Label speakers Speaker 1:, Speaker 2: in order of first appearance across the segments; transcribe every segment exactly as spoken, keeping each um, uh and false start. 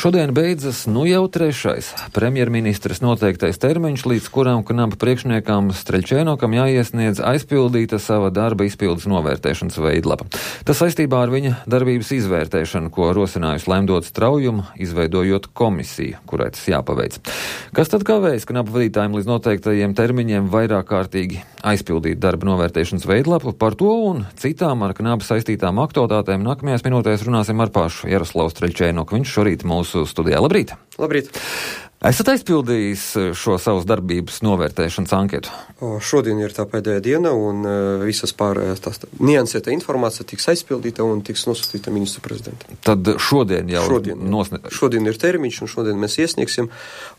Speaker 1: Šodien beidzas nu jau trešais premjerministres noteiktais termiņš, līdz kuram Knapa priekšniekam Streļčēnokam jāiesniedz aizpildīta sava darba izpildes novērtēšanas veidlapa. Tas saistībā ar viņa darbības izvērtēšanu, ko rosinājusi Lemdots Traujuma, izveidojot komisiju, kurai tas jāpaveic. Kas tad kavējas Knapa vadītājiem līdz noteiktajiem termiņiem vairāk kārtīgi aizpildīt darba novērtēšanas veidlapu? Par to un citām ar Knapa saistītām aktualitātēm nākamajās minūtēs runāsim ar pašu Jaroslavu Streļčēnoku. Viņš šorīt mūsu studijā. Labrīt!
Speaker 2: Labrīt!
Speaker 1: Esat aizpildījis šo savas darbības novērtēšanas anketu?
Speaker 2: O, šodien ir tā pēdējā diena, un uh, visas pārējās tās niansēta informācija tiks aizpildīta un tiks nosūtīta ministru prezidentam.
Speaker 1: Tad šodien jau
Speaker 2: šodien,
Speaker 1: nosne...
Speaker 2: šodien ir termiņš, un šodien mēs iesniegsim,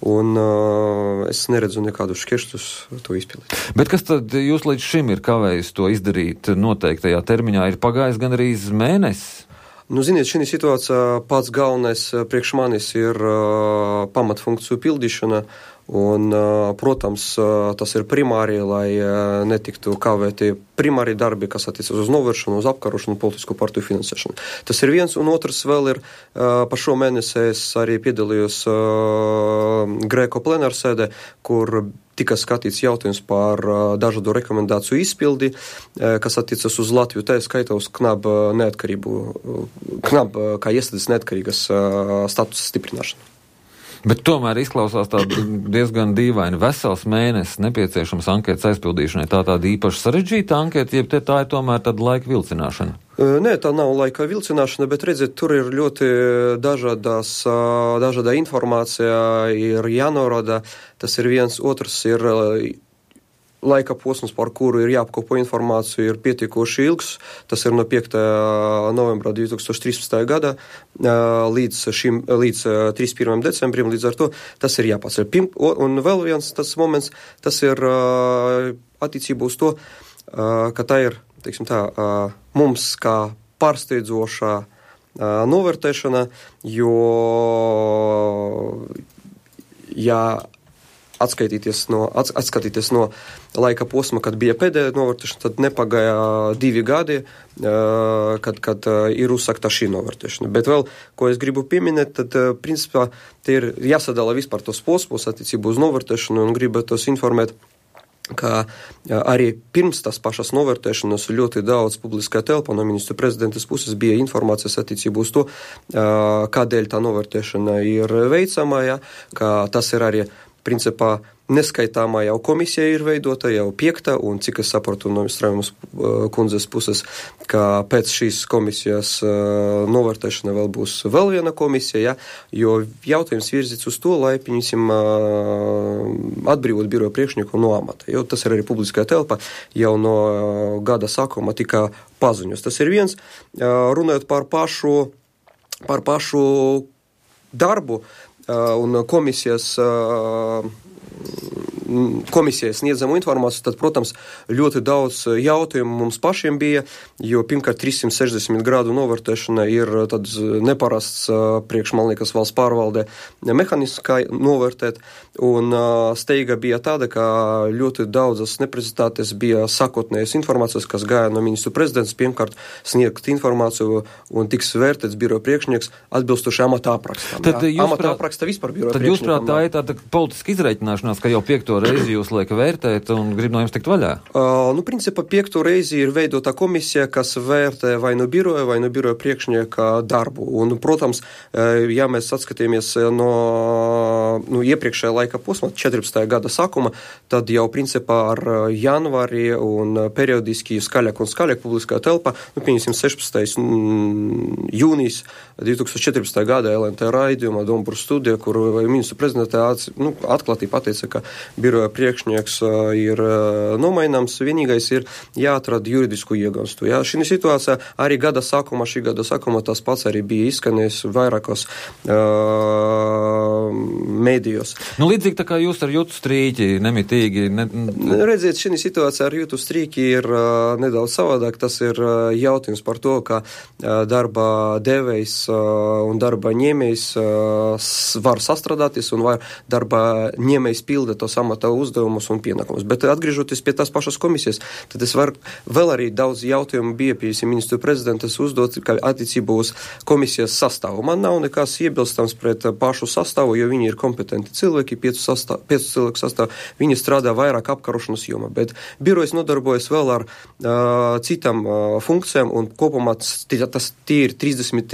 Speaker 2: un uh, es neredzu nekādus šķēršļus to izpildīt.
Speaker 1: Bet kas tad jūs līdz šim ir kavējis to izdarīt noteiktajā termiņā? Ir pagājis gandrīz mēnesis?
Speaker 2: Nu, ziniet, šī situācija pats galvenais priekš manis ir uh, pamatfunkciju pildīšana, un, uh, protams, uh, tas ir primāri, lai uh, netiktu kavēti primāri darbi, kas attiecas uz novēršanu, uz apkarošanu, politisko partiju finansēšanu. Tas ir viens, un otrs vēl ir, uh, pa šo mēnesi es arī piedalījos uh, Grēko plenārsēdē, kur tika skatīts jautājums par uh, dažādu rekomendāciju izpildi, uh, kas attiecas uz Latviju, tā skaitā uz Knapa neatkarību, uh, Knapa kā iestādes neatkarīgas uh, statusa stiprināšanu.
Speaker 1: Bet tomēr izklausās tā diezgan dīvaini. Vesels mēnesis nepieciešams anketas aizpildīšanai. Tā tāda īpaši sarežģīta anketa, jeb te tā ir tomēr tāda laika vilcināšana?
Speaker 2: Nē, tā nav laika vilcināšana, bet redziet, tur ir ļoti dažādas, dažāda informācija, ir jānorāda. Tas ir viens, otrs ir laika posms, par kuru ir jāapkopo informāciju, ir pietiekoši ilgs. Tas ir no piekta novembra divi tūkstoši trīspadsmitā gada līdz, šim, līdz trīsdesmit pirmajam decembrim, līdz ar to tas ir jāpaceļ. Un vēl viens tas moments, tas ir attiecībā uz to, ka tā ir, teiksim tā, mums kā pārsteidzošā novērtēšana, jo ja atskaitīties no, atskatīties no laika posma, kad bija pēdējā novērtēšana, tad nepagāja divi gadi, kad, kad ir uzsākta šī novērtēšana. Bet vēl, ko es gribu pieminēt, tad, principā, te ir jāsadala vispār tos posmus attiecību uz novērtēšanu, un gribētos informēt, ka arī pirms tās pašas novērtēšanas ļoti daudz publiskā telpā no ministru prezidentas puses bija informācijas attiecību uz to, kādēļ tā novērtēšana ir veicama, ja, ka tas ir arī principā neskaitāmā jau komisija ir veidota, jau piekta, un cik es saprotu no Straujumas kundzes puses, ka pēc šīs komisijas uh, novērtēšana vēl būs vēl viena komisija, ja, jo jautājums virzīts uz to, lai, pieņemsim, uh, atbrīvot biroja priekšnieku no amata, jo tas ir arī publiskā telpa, jau no uh, gada sākuma tika paziņos. Tas ir viens, uh, runājot par pašu, par pašu darbu, Uh, un komisijas, uh, komisijas sniedzamu informāciju, tad, protams, ļoti daudz jautājumu mums pašiem bija, jo pirmkārt trīssimt sešdesmit grādu novērtēšana ir tāds neparasts uh, priekš, man liekas, valsts pārvaldē mehānisms, kā novērtēt, un uh, steiga bija tāda, ka ļoti daudzas neprecizitātes bija sakotnējas informācijas, kas gāja no ministru prezidents, pirmkārt sniegt informāciju un tiks vērtēts biroja priekšnieks atbilstoši amata aprakstam.
Speaker 1: Tad
Speaker 2: ja? Amata apraksta vispār biroja
Speaker 1: priekšniekam. Tad jūs prāt, tā ir tāda politiska izreikināšanās, ka jau piekto reizi jūs lieka vērtēt un grib no jums tikt vaļā?
Speaker 2: Uh, nu, principā, piekto reizi ir veidota komisija, kas vērtē vai no biroja, vai no biroja priekšnieka darbu. Un, protams, ja mēs atskatāmies no nu, iepriekšējā laika posma, četrpadsmitā gada sākuma, tad jau, principā, ar janvāri un periodiski skaļāk un skaļāk publiskā telpa, nu, pieņemsim, sešpadsmitais jūnijas divi tūkstoši četrpadsmitā gada L N T raidījumā Dombūru studija, kur ministru prezidentā nu, atklātī pateica, ka biroja priekšnieks uh, ir uh, nomaināms, vienīgais ir jāatrada juridisku iegānstu. Ja? Šī situācija arī gada sākumā, šī gada sākumā tas pats arī bija izskanējis vairākos uh, mēdījos.
Speaker 1: Nu, līdzīgi tā kā jūs ar jūtu strīķi nemitīgi... Ne...
Speaker 2: Redziet, šī situācija ar jūtu strīķi ir uh, nedaudz savādāk. Tas ir uh, jautājums par to, ka uh, darba devējs uh, un darba ņēmējs uh, var sastrādāties un var darba ņēmējs pilda tos amata amata uzdevumus un pienākumus. Bet atgriežoties pie tās pašas komisijas, tad es varu vēl arī daudz jautājumu bija pie ministru prezidentas uzdot, kā attiecībā uz komisijas sastāvu. Man nav nekas iebilstams pret pašu sastāvu, jo viņi ir kompetenti cilvēki, piecu, sastāv, piecu cilvēku sastāvu, viņi strādā vairāk apkarošanas jomā, bet birojas nodarbojas vēl ar uh, citām uh, funkcijām, un kopumā tas tie ir trīsdesmit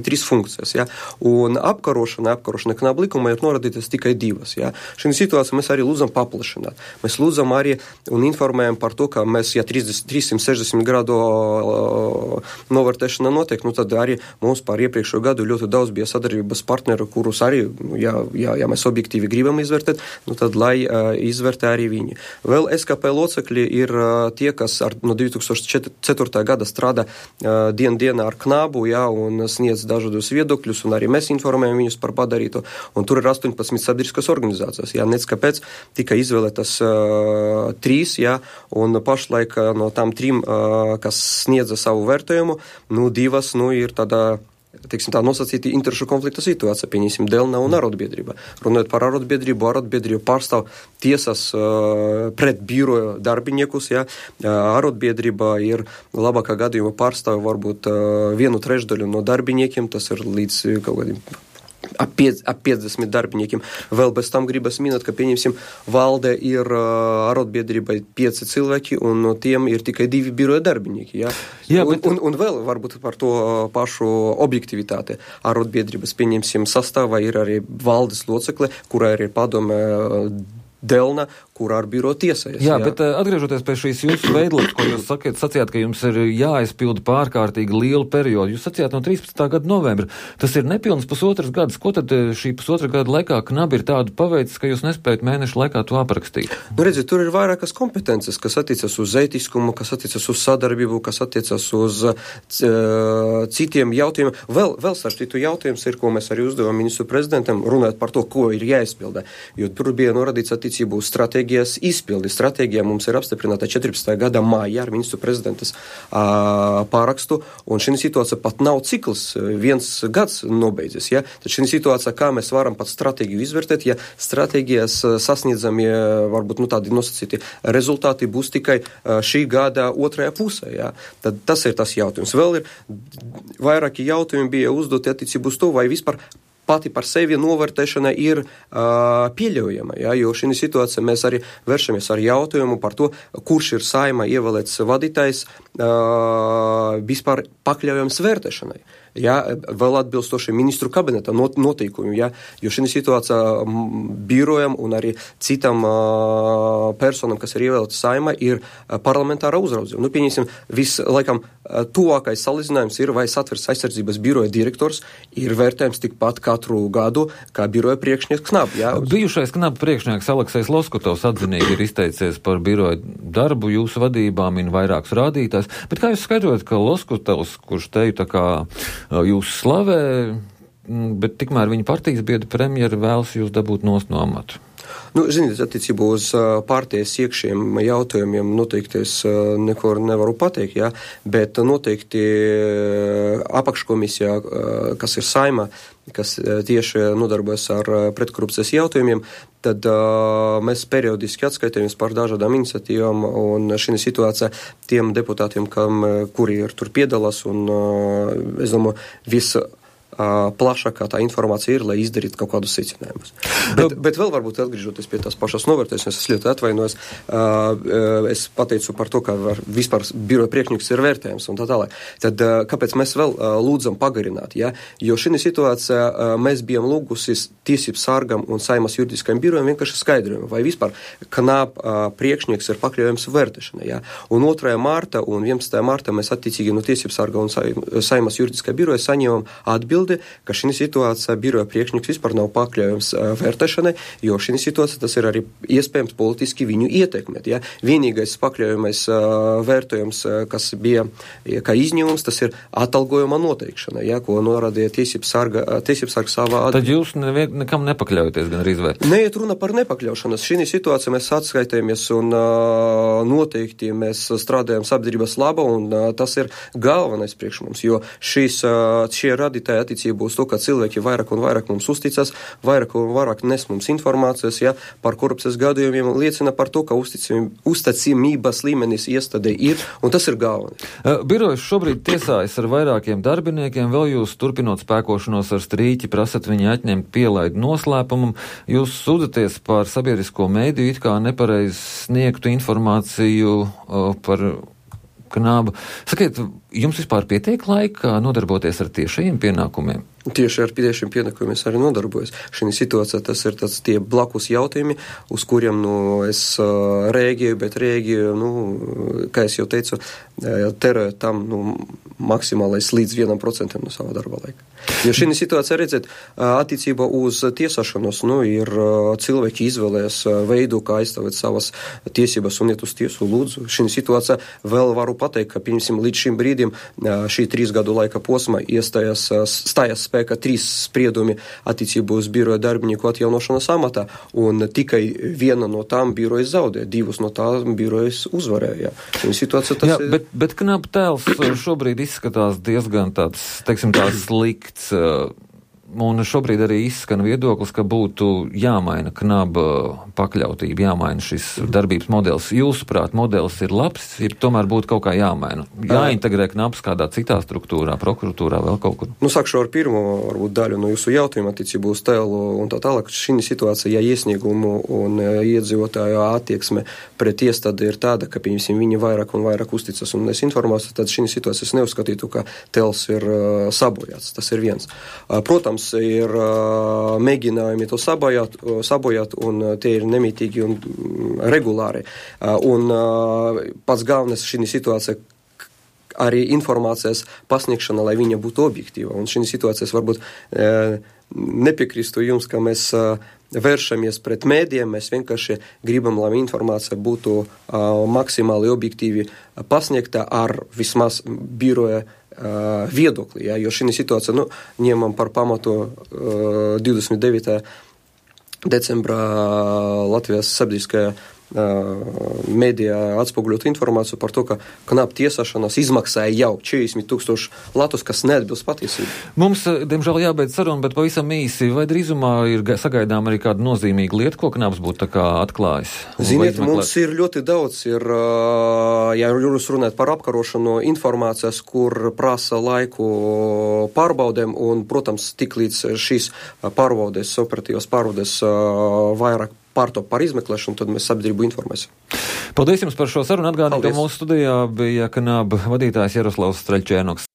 Speaker 2: trīs funkcijas, ja? Un apkarošana, apkarošana knāba likumā ir norādītas tikai divas, ja? Šī situācija mēs arī lūdzam paplašināt. Mēs lūdzam arī un informējam par to, ka mēs, ja trīssimt sešdesmit grādu uh, novērtēšana notiek, nu tad arī mums par iepriekšējo gadu ļoti daudz bija sadarbības partneru, kurus arī, ja, ja, ja mēs objektīvi gribam izvērtēt, nu tad lai uh, izvērtē arī viņi. Vēl S K P locekļi ir uh, tie, kas ar, no divi tūkstoši ceturtā gada strādā uh, dien dienā ar knābu, ja, un sniedz dažādus viedokļus, un arī mēs informējam viņus par padarīto, un tur ir astoņpadsmit sabiedriskas organizācijas, ja, nec kāpēc tika izvēlētas uh, trīs, ja, un pašlaik uh, no tām trim, uh, kas sniedza savu vērtējumu, nu, divas, nu, ir tādā, teiksim tā, nosacīti interešu konflikta situācija, pieņemsim, Delna un arotbiedrība. Runājot par arotbiedrību, arotbiedrību pārstāv tiesas uh, pret biroju darbiniekus, ja, uh, arotbiedrība ir labākā gadījuma pārstāv varbūt uh, vienu trešdaļu no darbiniekiem, tas ir līdz kaut kādiem ap piecdesmit darbiniekiem. Vēl bez tam gribas minēt, ka, pieņemsim, valde ir uh, arotbiedrībai pieci cilvēki, un no tiem ir tikai divi biroja darbinieki. Ja? Jā, bet... un, un, un vēl varbūt par to pašu objektivitāti. Arotbiedrības, pieņemsim, sastāvā ir arī valdes locekle, kurā ir padome Delna, kurā ar biro tiesājas.
Speaker 1: Jā, jā, bet atgriežoties pie šīs jūsu veidlapas, ko jūs sakiet, sacījāt, ka jums ir jāaizpilda pārkārtīgi lielu periodu. Jūs sacījāt no trīspadsmitā gada novembra. Tas ir nepilns pusotras gads. Ko tad šī pusotra gada laikā knabi ir tādu paveicis, ka jūs nespējat mēnešu laikā to aprakstīt?
Speaker 2: Nu, redziet, tur ir vairākas kompetences, kas attiecas uz ētiskumu, kas attiecas uz sadarbību, kas attiecas uz uh, citiem jautājumiem. Vēl, vēl starptītu jautājums ir, ko mēs arī uzdevām ministru prezidentam, runāt par to, ko ir jāizpilda. Jo tur bija norādīts attiecību uz stratēģijas izpildi. Stratēģija mums ir apstiprināta četrpadsmitajā gadā mājā ar ministru prezidentas uh, pārakstu, un šī situācija pat nav cikls, viens gads nobeidzis. Ja? Tad šī situācija, kā mēs varam pat stratēģiju izvērtēt, ja stratēģijas sasniedzamie, varbūt, nu, tādi nosacīti rezultāti būs tikai uh, šī gada otrajā pusē. Ja? Tad tas ir tas jautājums. Vēl ir vairāki jautājumi bija uzdoti attiecību uz to, vai vispār pati par sevi novērtēšana ir uh, pieļaujama, ja, jo šī situācija mēs arī vēršamies ar jautājumu par to, kurš ir saima ievēlēts vadītājs uh, vispār pakļaujams vērtēšanai. Ja, vēl atbilstoši ministru kabineta not, noteikumu, ja, jo šī situācija birojam un arī citam uh, personam, kas ir ievēlēts saima, ir uh, parlamentāra uzraudzība. Nu, pieņemsim, vislaikam uh, tuvākais salīdzinājums ir, vai Satversmes aizsardzības biroja direktors ir vērtējums tikpat katru gadu, kā biroja priekšnieks Knab. Ja.
Speaker 1: Bijušais Knab priekšnieks Aleksejs Loskutovs atzinīgi ir izteicies par biroja darbu, jūsu vadībā min vairākus rādītājus, bet kā jūs skaidrojat, ka Loskutovs, kurš teju tā kā jūs slavē, bet tikmēr viņa partijas biedra premjera vēlas jūs dabūt nost no amata?
Speaker 2: Nu, ziniet, attiecībā uz uh, partijas iekšējiem jautājumiem noteikti es uh, neko nevaru pateikt, ja, bet noteikti uh, apakškomisijā, uh, kas ir saima, kas uh, tieši nodarbojas ar uh, pretkorupcijas jautājumiem, tad uh, mēs periodiski atskaitamies par dažādām iniciatīvām, un šī situācija tiem deputātiem, kam, kuri ir tur piedalās, un uh, es domāju, visa plašākā tā informācija ir, lai izdarītu kaut kādus secinājumus. Bet, bet vēl varbūt atgriežoties pie tās pašas novērtēšanas, es ļoti atvainojos, es pateicu par to, ka vispār biroja priekšnieks ir vērtējums un tā tālāk. Tad kāpēc mēs vēl lūdzam pagarināt? Ja? Jo šī situācija mēs bijām lūgusis tiesību sargam un Saimas juridiskajam birojam vienkārši skaidrojumu, vai vispār Knab priekšnieks ir pakļaujams vērtēšanai. Ja? Un otrajā mārta un vienpadsmitajā mārta mēs attiecīgi no tiesību sarga un Saimas juridiskajā biroja saņēmām atbildi, ka šī situācija biroja priekšnieks vispār nav pakļaujams uh, vērtēšanai, jo šī situācija tas ir arī iespējams politiski viņu ietekmēt. Ja? Vienīgais pakļaujamais uh, vērtējums, uh, kas bija ja, kā izņēmums, tas ir atalgojuma noteikšana, ja? Ko norādīja tiesības sarga, uh, tiesības sarga savā atbildē.
Speaker 1: Tad jūs nevien, nekam nepakļaujaties gan arī izvērt?
Speaker 2: Neiet runa par nepakļaušanas. Šī situācija mēs atskaitējamies un uh, noteikti mēs strādājam sabiedrības laba, un uh, tas ir galvenais priekš mums, jo šīs, uh, šie radītāji attiecībā uz to, ka cilvēki vairāk un vairāk mums uzticas, vairāk un vairāk nes mums informācijas, ja, par korupcijas gadījumiem, liecina par to, ka uzticamības līmenis iestādē ir, un tas ir galvenais.
Speaker 1: Birojas šobrīd tiesājas ar vairākiem darbiniekiem, vēl jūs turpinot spēkošanos ar strīķi, prasat viņi atņemt pielaidu noslēpumam, jūs sūdzaties par sabiedrisko mēdīju, it kā nepareiz sniegtu informāciju uh, par Knabu. Sakiet, jums vispār pietiek laika nodarboties ar tiešajiem pienākumiem?
Speaker 2: Tieši ar tiešiem pienākumiem es arī nodarbojos. Šī situācija tas ir tāds tie blakus jautājumi, uz kuriem, nu, es uh, rēģēju, bet rēģēju, nu, kā es jau teicu, terēju tam, nu, maksimālais līdz vienam procentam no sava darba laika. Jo šī situācija, redzēt, attiecībā uz tiesāšanos, nu, ir cilvēki izvēlējas veidu, kā aizstāvēt savas tiesības un iet uz tiesu, lūdzu. Šī situācija vēl varu pateikt, ka, piemēram, līdz šim brīdim šī trīs gadu laika posma iestājas, stājas spēkā trīs spriedumi attiecībā uz biroja darbinieku atjaunošanas amatā, un tikai viena no tām birojas zaudē, divas no tām birojas uzvarēja. Situācija tas
Speaker 1: Jā,
Speaker 2: ir...
Speaker 1: Bet, bet Knaba tēls šobrīd izskatās diezgan tāds, teiksim, tāds slikts, un šobrīd arī izskan viedoklis, ka būtu jāmaina Knaba pakļautība, jāmaina šis darbības modelis. Jūsuprāt, modelis ir labs, ir tomēr būtu kaut kā jāmaina. Jāintegrē Knabs kādā citā struktūrā, prokuratūrā, vēl kaut kur.
Speaker 2: Nu, sākšu ar pirmo, varbūt, daļu no jūsu jautājuma attiecībā uz tēlu un tā tālāk. Šī situācija, ja iesniegumu un iedzīvotāju attieksme pret iestādi ir tāda, ka, piemēram, viņi vairāk un vairāk uzticas un nes informāciju, tad šī situācija es neuzskatītu, ka tēls ir uh, sabojāts. Tas ir viens. Uh, protams, ir uh, mēģinājumi to sabojāt, uh, sabojāt, un uh, tie ir nemitīgi un um, regulāri. Uh, un uh, pats galvenais šī situācija arī informācijas pasniegšana, lai viņa būtu objektīva. Un šī situācijas varbūt uh, nepiekristu jums, ka mēs uh, vēršamies pret mēdiem, mēs vienkārši gribam, lai informācija būtu uh, maksimāli objektīvi pasniegta ar vismaz biroja Uh, viedokli, ja, jo šī situācija, nu, ņemam par pamatu uh, divdesmit devītā decembrā Latvijas sabiedriskajā mēdījā atspoguļot informāciju par to, ka Knaba tiesāšanās izmaksāja jau četrdesmit tūkstoši latus, kas neatbilst patiesību.
Speaker 1: Mums, diemžēl, jābeidz saruna, bet pavisam īsi, vai drīzumā ir sagaidām arī kāda nozīmīga lieta, ko Knabs būtu tā kā atklājis?
Speaker 2: Ziniet, mums ir ļoti daudz, ir, ja jūs runājat par apkarošanu informācijas, kur prasa laiku pārbaudēm, un, protams, tik līdz šīs pārbaudes, operatīvas pārbaudes vairāk pārtop par izmeklēšanu, tad mēs sabiedrību informēsim.
Speaker 1: Paldies jums par šo sarunu. Atgādinu, ka mūsu studijā bija Knaba vadītājs Jaroslavs Streļčēnoks.